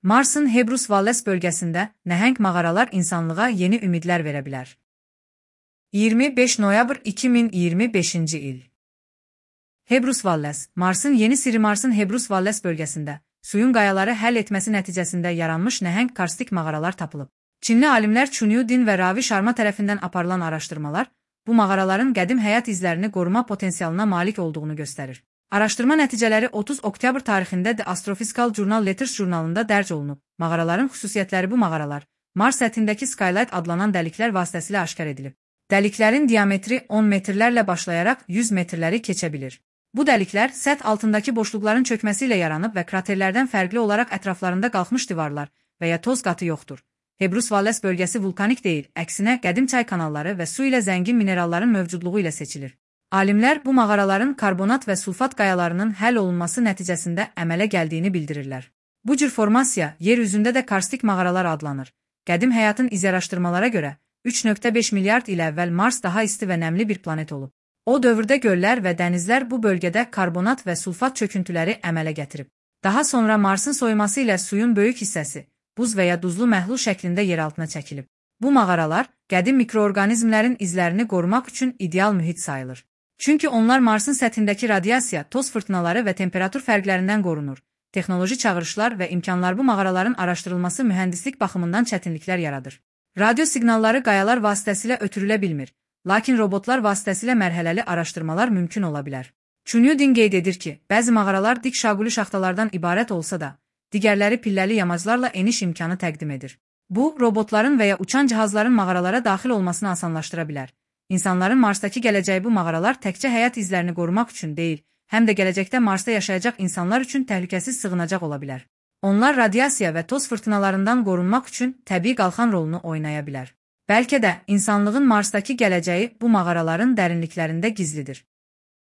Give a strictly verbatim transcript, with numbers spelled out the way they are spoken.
Marsın Hebrus Valles bölgəsində nəhəng mağaralar insanlığa yeni ümidlər verə bilər. iyirmi beş noyabr iki min iyirmi beşinci il. Hebrus Valles, Marsın yeni Siri Marsın Hebrus Valles bölgəsində suyun qayaları həll etməsi nəticəsində yaranmış nəhəng karstik mağaralar tapılıb. Çinli alimlər Chunyu Din və Ravi Sharma tərəfindən aparılan araşdırmalar bu mağaraların qədim həyat izlərini qoruma potensialına malik olduğunu göstərir. Araşdırma nəticələri otuz oktyabr tarixində The Astrophysical Journal Letters jurnalında dərc olunub. Mağaraların xüsusiyyətləri Bu mağaralar Mars səthindəki skylight adlanan dəliklər vasitəsilə aşkar edilib. Dəliklərin diametri on metrlərlə başlayaraq yüz metrləri keçə bilir. Bu dəliklər səth altındakı boşluqların çökməsi ilə yaranıb və kraterlərdən fərqli olaraq ətraflarında qalxmış divarlar və ya toz qatı yoxdur. Hebrus Valles bölgəsi vulkanik deyil, əksinə qədim çay kanalları və su ilə zəngin mineralların mövcudluğu ilə seçilir. Alimlər bu mağaraların karbonat və sulfat qayalarının həll olunması nəticəsində əmələ gəldiyini bildirirlər. Bu cür formasiya yer üzündə də karstik mağaralar adlanır. Qədim həyatın iz araşdırmalara görə üç nöqtə beş milyard il əvvəl Mars daha isti və nəmli bir planet olub. O dövrdə göllər və dənizlər bu bölgədə karbonat və sulfat çöküntüləri əmələ gətirib. Daha sonra Marsın soyuması ilə suyun böyük hissəsi buz və ya duzlu məhlul şəklində yer altına çəkilib. Bu mağaralar qədim mikroorqanizmlərin izlərini qorumaq üçün ideal mühit sayılır. Çünki onlar Marsın səthindəki radiasiya, toz fırtınaları və temperatur fərqlərindən qorunur. Texnoloji çağırışlar və imkanlar bu mağaraların araşdırılması mühəndislik baxımından çətinliklər yaradır. Radio siqnalları qayalar vasitəsilə ötürülə bilmir, lakin robotlar vasitəsilə mərhələli araşdırmalar mümkün ola bilər. Chunyu Din qeyd edir ki, bəzi mağaralar dik şaquli şaxtalardan ibarət olsa da, digərləri pilləli yamaclarla eniş imkanı təqdim edir. Bu, robotların və ya uçan cihazların mağaralara daxil olmasını asanlaşdıra bilər. İnsanların Marsdakı gələcəyi Bu mağaralar təkcə həyat izlərini qorumaq üçün deyil, həm də gələcəkdə Marsda yaşayacaq insanlar üçün təhlükəsiz sığınacaq ola bilər. Onlar radiasiya və toz fırtınalarından qorunmaq üçün təbii qalxan rolunu oynaya bilər. Bəlkə də insanlığın Marsdakı gələcəyi bu mağaraların dərinliklərində gizlidir.